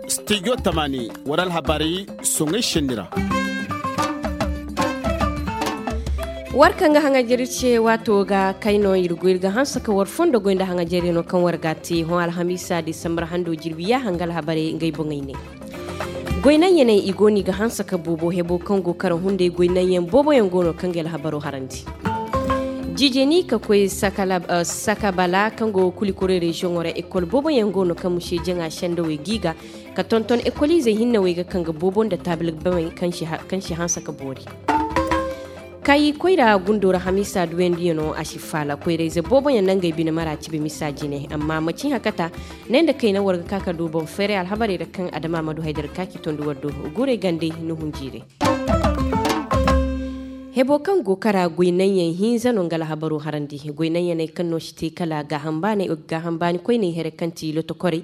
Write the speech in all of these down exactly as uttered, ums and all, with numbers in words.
Studio tamani war alhabaray soŋay šenni ra. War kaŋ ga haŋajer ce waato ga kay no ir go ir ga hanse ka war fondo goy nda haŋajer no kaŋ war ga te hõ alhamiisa disambar hando jirbi yaaha nga alhabaray ngey boŋey ne. Goy naŋ ya ne i go no i ga hanse ka boobo hebo kaŋ go kara hunday goy naŋ yaŋ boobo yaŋ go no kaŋ ga alhabaro harandi. Jijeni ka koy sakabala kaŋ go kulikore reziyoŋo ra ekol boobo yaŋ go no kaŋ muse jaŋa sendawey g'i ga ka tonton ekoliizey hinne wey ga kaŋ ga boobo nda taabil bamey kaŋ si hanse ka boori. Kayi koyra gundo ra hamiisa duwendiyano a si faala koyrayze booboyaŋ na ngey bine mara cibi misa jine amma macin hakata ne nda kayna war ga ka ka du boŋ feeray alhabarey ra kaŋ adama ma du haydar ka ci tondi war do. Guurey gande ni hunjiirey. Hebo kaŋ go kara goy naŋyaŋ hinza no nga alhabaro harandi goy naŋyaney kaŋ no si te kala gaaham baani koyney here kaŋ ti lotokorey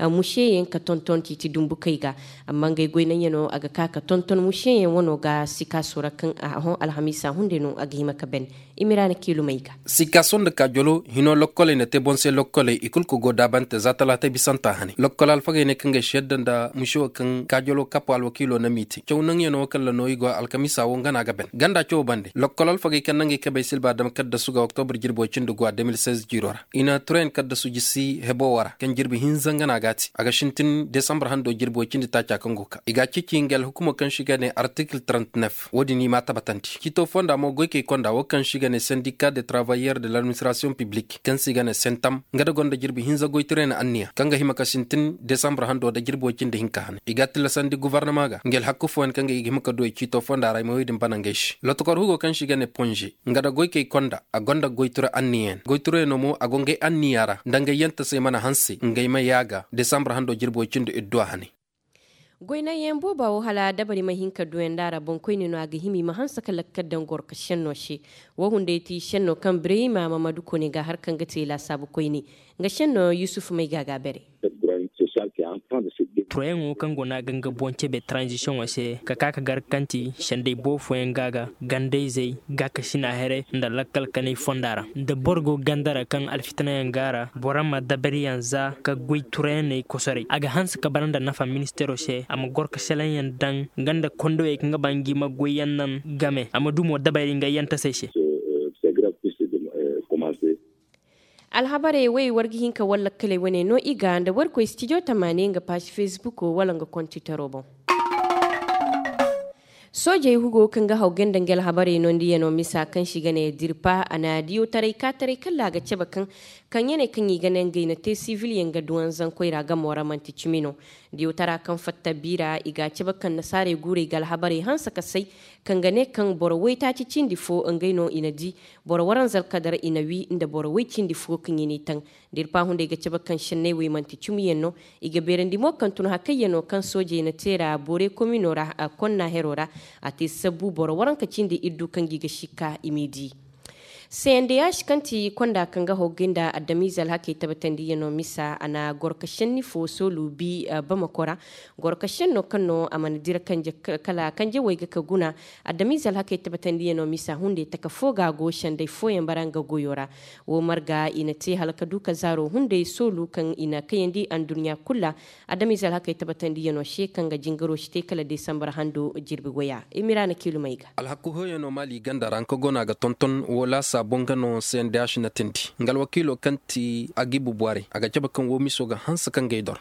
museyaŋ ka tonton ciiti dumbukey ga. Amma ngey goy naŋyano a ga ka ka tonton museyaŋ wano ga sikaaso ra kaŋ a hõ alhamiisa hunday no a ga hima ka ben. Imiraana kiilumey ga. Sikaaso nda kaajolo hino lokkoley na te boŋ se lokkoley i kul ka go daabante za talaatay bisanta hane lokkol alfagey ne kaŋ ga ay si yadda nda muse wo kaŋ kaajolo kapo alwakiilo na m'i te caw naŋyano wo kaŋ ra no i go alkamiisa wo nga no a ga ben ganda cawo bande lokkol alfagey kaŋ na ngey kabey silba dam kaddasu ga oktobur jirbo cindi guwa de mil seize jiiro ra i na turayaŋ kaddasu jisi hebo wo ra kaŋ jirbi hinza nga no a ga a te a ga sintin desambur hando jirbo cindi taaca kaŋ go ka i ga a ceeci nga alhukumo kaŋ se i ga ne artikil trente-neuf wo- din i m'a tabatandi ciito fonda mo goykey konda wo kaŋ se i ga ne sendika de travayyer de l'administrasiyoŋ piblik kaŋ se i ga ne sentam nga da gonda jirbi hinza goytirayaŋ anniya kaŋ ga hima ka sintin desambur hando nda jirbo cindi hinka hane i ga a tillasandi gofornama ga nga alhakku fooyaŋ kaŋ ga i ga hima ka du ay ciito fonda ra ay ma wey din bana ngey se lotokor hugo kaŋ se i ga ne ponze nga da goykey konda a gonda goytira anniyayaŋ goytirayaŋo mo a go ngey anniya ra nda ngey yantasey mana hanse ngey ma yaaga desambur hando jirbo cindi idduwa hane. Goy naŋyaŋ booba wo hala dabari ma hin ka duwandi a ra boŋkoyne no a ga hima i ma hanse ka lakkal daŋ gorka šenno se. Wo hunday ti šenno kaŋ birayma mamadu kone ga har kaŋ ga te laasaabu koyne nga šenno yusuf may ga a ga a bare. Turayaŋo kaŋ go no a ga nga boŋ cebe taranzisiyoŋo se ka ka ka gar kaŋ ti senday boofoyaŋ ga a ga gandayzey gaakasina here nda lakkal kanay fonda ra da boro go ganda ra kaŋ alfitinayaŋ go a ra boro ma dabariyaŋ za ka goy turayaney kosoray a ga hanse ka bara nda nafa ministeero se a ma goro ka selaŋyaŋ daŋ nga nda kondowey kaŋ ga ba ngi ma goyyaŋ naŋ game a ma du mo dabari nga yantasey se. Alhabarey wey war ga hin ka war lakkaley wane no i ga nda war koy stijo tamaani nga paasi fesbuko wala nga kontitaro boŋ. Soojey hugo kaŋ ga haw ganda nga alhabarey no nda yano misa kaŋ si ga ne dirpa a na diyawtaray kaataray kalla a ga cabe kaŋ kaŋ ya ne kaŋ i ga ne ngey na te sivilyaŋ ga duwanzankoy ra gamo ra man'ti cimi no. Diyawtara kaŋ fatta biira i ga a cabe kaŋ nasaarey guurey ga alhabarey hanse ka say kaŋ ga ne kaŋ boro waytaaci cindi fo ngey no i na di. Boro waranza alkadar i na wi nda boro way cindi fo kaŋ i n'i taŋ. Dirpa hunday ga cabe kaŋ senney wey man'ti cimiyaŋ no. I ga beerandi mo kaŋ tun hakayyaŋo kaŋ soojey na te ra boore komino ra konna hero ra. A te sabbu boro waranka cindi iddu kaŋ gi ga sikka i m'i di. Sendeyaš kaŋ ti konda kaŋ ga hoggi nda adamize alhakey tabatandiyaŋo misa a na goro ka senni fo soolu bi bamako ra. Goro ka senno kaŋ no a mana dira kanje kala kanjewey ga ka guna. Adamize alhakey tabatandiyaŋo misa hunday taka fo ga a go sendey fooyaŋ bara nga goyo ra. Wo marga i na te hala ka du ka zaaro hunday soolu kaŋ i na kayandi anduɲɲa kul ra. Adamize alhakey tabatandiyaŋo se kaŋ ga jingaro si te kala desambar hando jirbi goya i mira na kiilumey ga. Alhaku hoyano maali ganda ra nga go no a ga tonton wo laasa boŋ ga no sendeyaš na tindi nga alwakiilo kaŋ ti agibu borey a ga cabe kaŋ wo miso ga hanse kaŋ ga ay dor.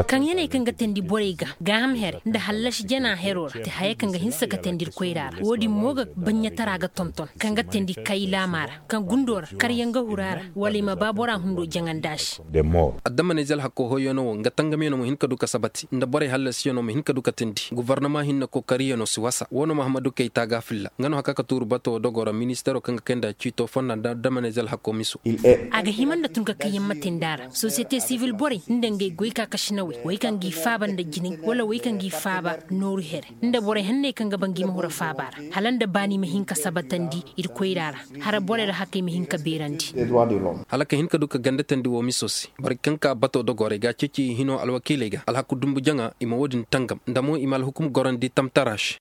Kaŋ ya ne kaŋ ga teendi borey ga gaaham here nda hallasi jana hero ra ti haya kaŋ ga hinsa ka teendi ir koyra ra wo- din mo ga baɲɲatara ga tonton kaŋ ga teendi kay laama ra kaŋ gundo ra karyaŋ ga huru a ra wala i ma ba bora hundo jaŋandi a se. Addamaney zalhakko hoyyaŋo wo nga tangamyaŋo ma hin ka du ka sabati nda borey hallasiyaŋo ma hin ka du ka teendi gofornama hinne kookariyaŋo si wasa wo no mahammadu kayta ga filla nga no haka ka tuuru bato dogo ra ministeero kaŋ ga kay nda ciito fonda nda addamaney zalhakko miso. A ga hima nda tun ka kaŋ yaŋ ma teendi a ra sosiyete sivil borey nda ngey goy kaakasinawey wey kaŋ g'i faaba nda jinay wala wey kaŋ g'i faaba nooru here nda borey hanney kaŋ ga ba ngi ma hura faaba ra hala nda baani ma hin ka sabatandi ir koyra ra. Hara borey ra hakey ma hin ka beerandi. Hala ka hin ka du ka ganda teendi wo miso se borey kaŋ ka bato dogo ra i ga a ceeci hino alwakiiley ga alhaku dumbu jaŋa i ma wo- din tangam nda mo i ma alhukum gorandi tamtara se.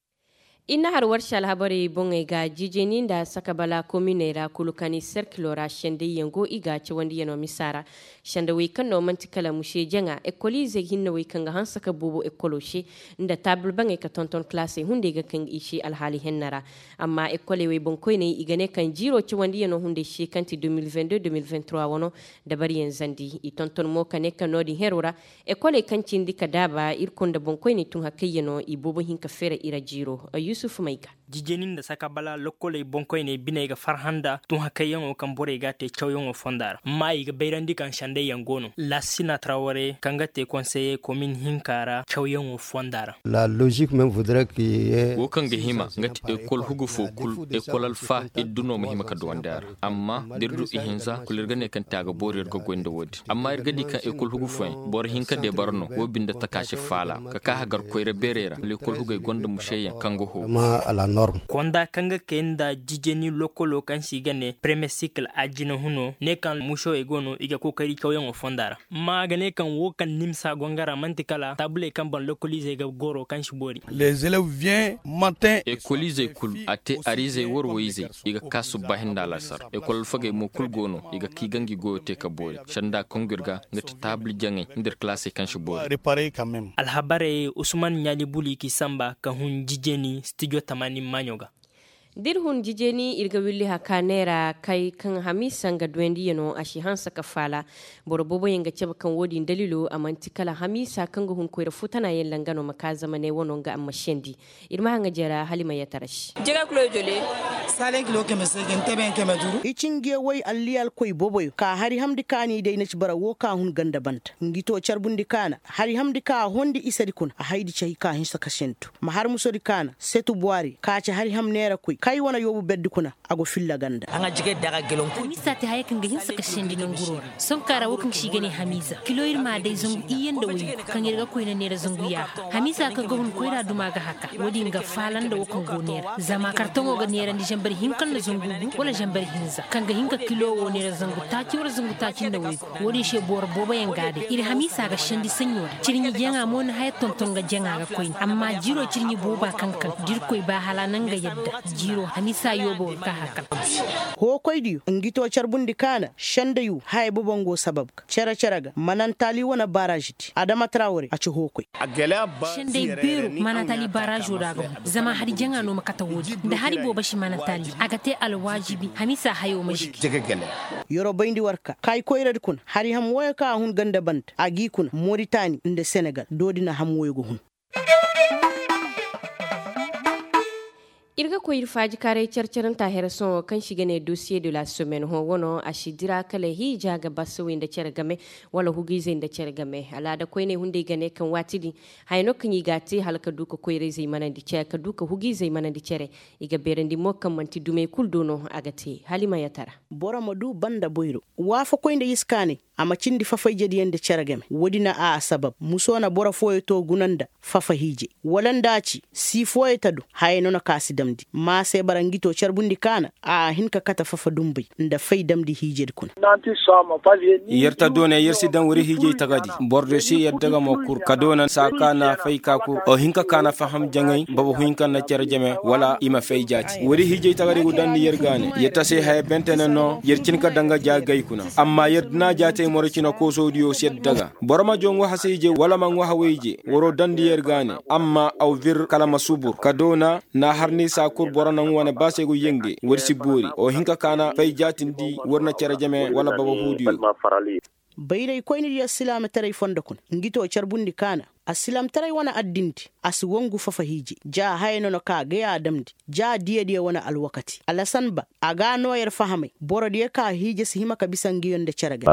I na har war se alhabarey boŋey ga jijeni nda sakabala kominey ra kulu kaŋ i serkilo ra sendayyaŋ go i ga cawandiyaŋo misa ra. Sendawey kaŋ no man'ti kala muse jaŋa ekoliizey hinnawey kaŋ ga hanse ka boobo ekolo se, nda taabil baŋey ka tonton kalaasey hunday ga kaŋ i se alhaali henna ra. Amma ekoley wey boŋkoyney i ga ne kaŋ jiiro cawandiyaŋo hunday se kaŋ ti deux mille vingt-deux deux mille vingt-trois wano, dabariyaŋ zandi i tonton mo ka ne kaŋ no-din hero ra. Ekoley kaŋ cindi ka daaba ir kunda boŋkoyney tun hakayyaŋo i boobo hin ka feera i ra jiiro. Yusuf mayga. Jijeni nda sakabala lokkoley boŋkoyney biney ga farhã nda tun hakayyaŋo kaŋ borey ga a te cawyaŋo fonda ra amma i ga bayrandi kaŋ sendayyaŋ go no. Lasina traware kaŋ ga te konseye komin hinka ra cawyaŋo fonda ra. Wo kaŋ ga hima nga ti ekol hugu fo kul ekol alfa iddu no ma hima ka duwandi a ra. Amma da ir du ihinza kul ir ga ne kaŋ te a ga boori ir ga goy nda wo-din amma ir ga di kaŋ ekol hugu fooyaŋ boro hinka de bara no wo binde taka si faala ka ka hagar koyra beerey ra wala ekol hugey gonda museyaŋ kaŋ ga hoo. Konda kaŋ ga kay nda jijeni lokolo kaŋ se i ga ne premier sikil ajina huno ne kaŋ musewey go no i ga kookari cawyaŋo fonda ra. Amma a ga ne kaŋ wo kaŋ nimsa go nga ra man'ti kala taabuley kaŋ baŋ lokoliizey ga goro kaŋ si boori. Ekoliizey kul a te ariizey war woyizey i ga ka subba hinda alasar ekol alfagey mo kul go no i ga ka i ga ngi goyo te ka boori sanda kaŋ go ir ga nga ti taabul jaŋey nda ir kalaasey kaŋ si boori. Alhabarey usman ɲaali buli k'i samba ka hun jijeni stijo tamaani maaɲo ga. Da ir hun jijeni ir ga willi haka neera kay kaŋ hamiisa nga duwandiyano a si hanse ka faala. Boro booboyaŋ ga cabe kaŋ wo-din daliilo a man'ti kala hamiisa kaŋ ga hun koyra futanaayaŋ langa no ma ka zama ne wano nga amma sendi. Ir ma haŋa jara hala i ma yatara se. Jega kilo jole. Sale kilo keme se ga ni teben keme duru. I cinjiyawey alliyalkoy booboyo ka hari hamndi ka ni day na ci bara wo ka hun ganda banta ngi to carbundi ka na hari hamndi ka a hondi isedi kuna a haydi cahi ka hinsa ka sentu ma har musodi ka na setu buwari ka ci hari ham neerakoy kay wane yoobu berdi kuna. A go filla ganda. Hamiisa te haya kaŋ ga hinsa ka sendi nanguro ra. Sohõ ka ra wo kaŋ se i ga ne hamiisa kilo ir ma a day zangu iyye nda waygu kaŋ ir ga koyna neera zangu yaaha hamiisa kaŋ ga hun koyra duma ga haka wo-din ga faala nda wo kaŋ go neera zama kartoŋo ga neerandi zambar hinka nda zangu gu wala zambar hinza kaŋ ga hin ka kilo wo neera zangu taaci wala zangu taaci nda waygu. Wo-din se boro booboyaŋ ga a day ir hamiisa ga sendi saɲɲo ra cirɲi jaŋa mo na haya tonton ga jaŋa ga koyne amma jiiro cirɲi booba kaŋ kaŋ da irkoy ba hala na nga yadda. Jiiro hamiisa yoobo ga ka hakal. Hookoydiyo ngi to carbundi ka na sendeyu haya bobo ngo sabab ga cere-cere ga manantaali wane baaraazidi adama tarawre a ci hookoy. Sendey beeru manantaali baaraazo ra ga hun zama hari jaŋa no ma kate wo-din nda hari boobo si manantaali a ga te alwaajibi hamiisa hayo ma jigi. Yeroo bayndi war ka kaayi koyradi kuna hari ham wooyo kaŋ a hun ganda banda a g'i kuna moritani nda senegal doodi na ham wooyo ga hun. Ir ga koy ir faajikaaray care-caranta here sohõ kaŋ se i ga ne dosiye de la semaine hõ wano a si dira kala hiija ga basawey nda care game wala hugiizey nda care game alaada koyney hunday ga ne kaŋ waati din haya no kaŋ i ga a te hala ka du ka koyrayzey manandi care ka du ka hugiizey manandi care. I ga beerandi mo kaŋ man'ti dumey kulu do no a ga te hala i ma yatara. Boro ma du banda boyro waafakoy nda iskaanay a ma cindi fafayjediyaŋ nda cere game woodi na a sabab muso na boro fooyo to guna nda fafa hiijay wala nda a ci sii fooyo ta du hayey no na ka si damndi ma se bara ngi to carbundi kaana a hin ka kate fafa dumbay nda fay damndi hiijedi kuna. Yer ta doonay yer si daŋ wari hiijay tagadi boro do si yer daga ma kur ka doona saa ka na fay ka kur o hin ka ka na faham jaŋay baba huhinka na cere jame wala i ma fay jaati wari hiijay tagadi go daŋ nda yer gaane yer ta se haya bentene no yer cin ka daŋ ga jaagay kuna amma yer dina jaatey moro cina koosodiyo si yer daga boro ma jo ŋwa hasa ije wala ma ŋwa hawa ije waro daŋ nda yer gaane amma aw bir kala ma subur ka doona na har ni saa kur boro naŋ wane ba se go yenge war si boori o hin ka ka na fay jaatindi war na cere jame wala baba huudiyo. Bayraykoynidiyo silaamataray fondo kuna ngi to carbundi kaana. Asilaamataray wane addindi a si wangu fafa hiije ja haya no na ka gay a damndi ja diyadiyo wane alwakati alasan ba a ga a noo yer fahamay borodiyo ka hiije si hima ka bisa ngiyo nda cere gay.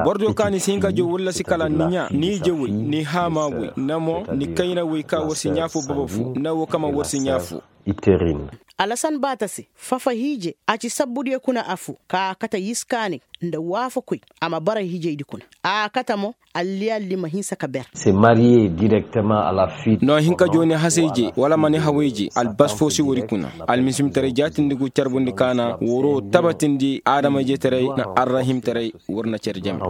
Borodiyo ka ni si hin ka jow walla si kala ni ɲaa ni ijewey ni haamaawey nda mo ni kaynawey ka war si ɲaa foo baba foo nda wo kama war si ɲaa foo. Alasan baata se fafa hiije a ci sabbudiyo kuna afoo ka a kate yiskaanay nda waafakoy a ma bara hiijaydi kuna a kate mo alliyalli ma hinsa ka ber. No a hin ka jooni hasay je wala ma ni haway je albas foo si wari kuna almisimtaray jaatindi go carbundi kaana waro tabatindi aadama-ijetaray nda arrahimtaray war na care jame.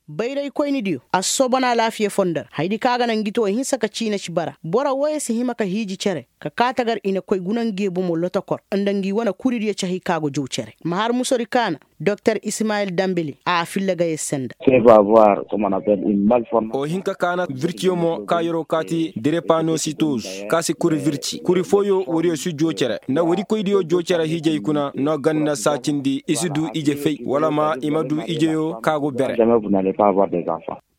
Bayraykoynidiyo a si soobana alaafiya fondo ra hayadi kaŋ a ga naŋ ngi te wo hinsa ka ciina ci bara boro wooyo si hima ka hiiji cere ka kaa tagar i na koy guna ngi bomo lotokor nda ngi wane kuridiyo cahi kaŋ a go jow cere ma har musori kaana. Doktor ismayil dambili a filla gayey senda. O hin ka kaana virciyo mo ka yeroo kaati derepanositoz ka si kuri virci kuri fooyo woodiyo si joo cere nda woodikoydiyo joo cere hiijey kuna no ganda saacindi i si du ije fay wala ma i ma du ijeyo ka go bere.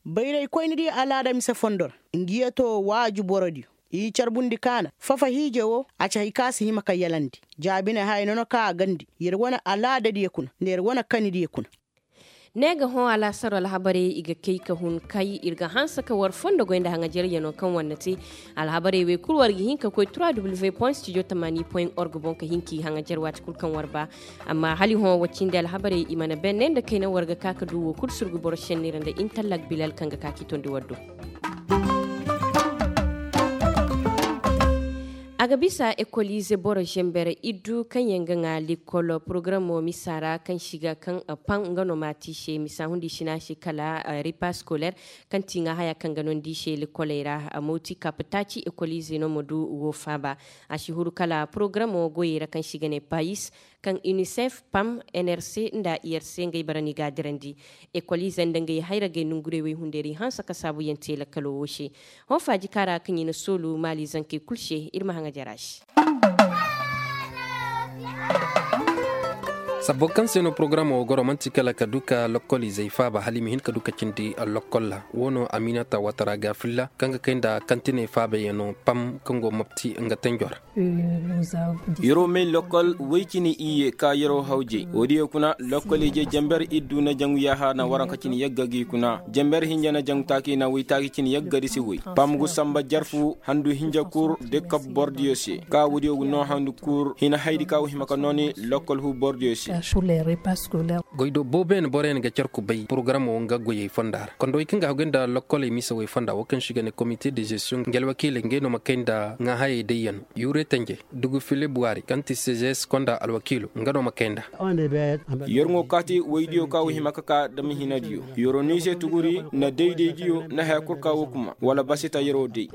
Bayraykoynidiyo alaada mise fondo ra ngi yee to waaju borodiyo i carbundi kaana fafa hiije woo a ci hay ka si hima ka yalandi. Jaabine haya nono ka a gandi yer wane alaadadiyo kuna nda yer wane kanidiyo kuna. Ne ga hõ alaasaro alhabarey i ga kay ka hun kay ir ga hanse ka war fondo goy nda haŋajaryanoo kaŋ war na te. Alhabarey wey kul war ga hin ka koy trois w point studio tamani point org boŋ ka hin k'i haŋajar waati kul kaŋ war ba. Amma hala i hõ war cindi alhabarey i mana benne nda kayna war ga ka ka du woo kul surgu boro šenney ra nda intallak bilal kaŋ ga ka k'i tondi war do. A ga bisa ekolize boro zember iddu kaŋ yaŋ ga ŋa lekol porogaramoo misa ra kaŋ si ga kaŋ pam nga no maati se misa hundi sina se kala repas koler kaŋ ti ŋa haya kaŋ ga nondi se lekoley ra. Mawti kap taaci ekolize no ma du woo faaba. A si huru kala porogaramoo goyey ra kaŋ si ga ne payis kaŋ inisef pam nrc nda irc ngey bara no i ga a dirandi. Ekolize nda ngey hayragey nongurey woy hunday ra i hanse ka saabuyaŋ te lakkalo woo se. Hõ faaji kaŋ ra kaŋ i na soolu maali zankey kul se ir ma haŋajer a se. Sabbo kaŋ se no porogaramoo goro man'ti kala ka du ka lokkolizey faaba hala i ma hin ka du ka cindi lokkol ra woo no aminata watara ga filla kaŋ ga kay nda kantiney faabayaŋo pam kaŋ go mopti nga tenjo ra. Yeroo may lokkol woy cine iyye ka yeroo hawjey woodiyo kuna lokkol ije jamber iddu na jaŋu yaaha na waranka cine yagga gi kuna jamber hinja na jaŋu taaki na woy taaki cine yagga di si woy pam gu samba jarfu handu hinja kur de kab bordiyo se ka woodiyo gu noo handu kur hina haydi ka wo hima ka nooni lokkol hu bordiyo se. Goy do booboyaŋ boroyaŋ ga car kubay porogaramoo nga goyey fonda ra konda woy kaŋ ga haguy nda lokkoley mise woy fonda wo kaŋ si ga ne komite de zestiyoŋ nga alwakiiley ngey no ma kay nda ŋaahayey dayyaŋ. Yuure tenje dugu filib waari kaŋ ti sezes konda alwakiilo nga no ma kay nda. Yer ŋo kaati woydiyo ka wo hima ka ka dam hinadiyo yeroo no i se tuguri nda daydaydiyo nda haya kul ka wo kuma wala basita yeroo day.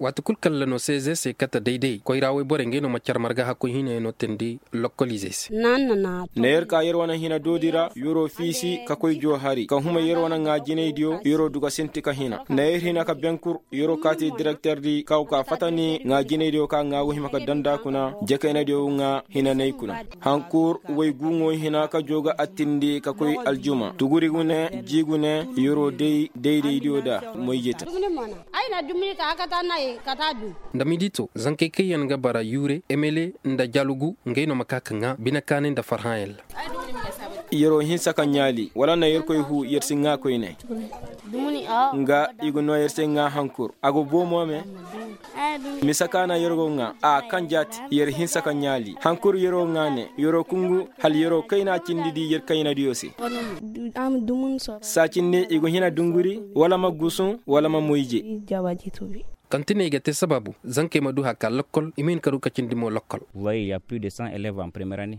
Waati kul kalla no sezes se kate dayday koyra woy borey ngey no ma car marga hakkoy hinayaŋ no teendi lokkoliizey se. Nda yer ka yer wane hina doodi ra yeroo fiisi ka koy joo hari ka huma yer wane ŋaa jinaydiyo yeroo duga sinti ka hina nda yer hina ka benkur yeroo kaati direkter di ka go ka fata ni ŋaa jinaydiyo ka ŋaa go hima ka danda kuna jekaynadiyo ŋaa hinanay kuna. Hankur woy guŋo hina ka joo ga attindi ka koy aljuma tuguri gune ji gune yeroo day daydaydiyo da moyjeta. Nda midi to zankey kaŋ yaŋ ga bara yuure emele nda jalugu ngey no ma ka ka ŋaa binekaanay nda farhãyaŋ ra. Yeroo hinsa ka ɲaali wala na yerkoy huu yer si ŋaa koyne. Nga i ga noo yer se ŋaa hankur a go boo mo me. Mise ka na yer go ŋaa a kaŋ jaati yer hinsa ka ɲaali hankur yeroo ŋaa ne yeroo kungu hala yeroo kayna cindi di yer kaynadiyo se. Saa cindi i go hina dunguri wala ma gusuŋ wala ma moyje. Kantiney ga te sababu zankey ma du haka lokkol i ma hin ka du ka cindi mo lokkol.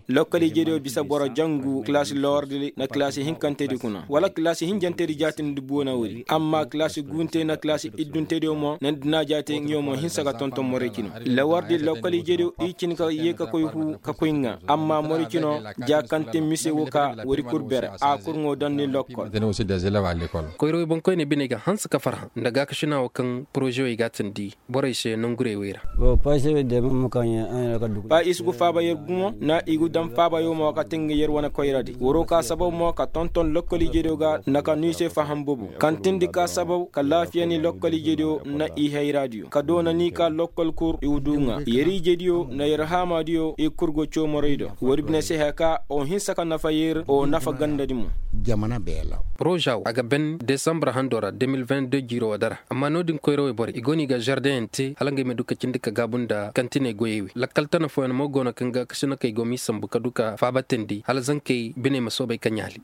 Lokkol ijediyo bisa boro jangu kilaasi lowardi na kilaasi hinkantedi kuna wala kilaasi hinjantedi jaatindi buuna woodi amma kilaasi guunte na kilaasi idduntediyo mo na ni dina jaate ngiyo mo hinsa ga tonton morey cino. Lowardi lokkol ijediyo i cin ka yee ka koy huu ka koy ŋaa amma morey cino ja kantin mise wo ka woodi kul bere a kul ŋoo daŋ ni lokkol. Koyra woy boŋkoyney biney ga hanse ka farhã nda gaakasina wo kaŋ porozewey ga a tindi borey se nongurey wey ra. Ba i si gu faaba yer gumo na i gu daŋ faaba yo mo ka te nga yer wane koyradi waroo ka sababu mo ka tonton lokkol ijediyo ga nda ka nuu i se faham bobo kaŋ tindi ka sababu ka laafiya ni lokkol ijediyo nda i hayraadiyo ka doona ni ka lokkol kur i wu du ŋaa yer ijediyo nda yer haamaadiyo i kur go coo morey do woodi bine se haya ka o hinsa ka nafa yer o nafa gandadi mo. Poroza wo a ga ben desambur hando ra deux mille vingt deux jiiro wo dara amma no-din koyrawey borey i go no i ga zardeyaŋ te hala ngey ma du ka cindi ka gaabu nda kantiney goyey wey lakkal tana fooyaŋ mo go no kaŋ ga kasinakey go m'i sambu ka du ka faabatandi hala zankey biney ma soobay ka ɲaali.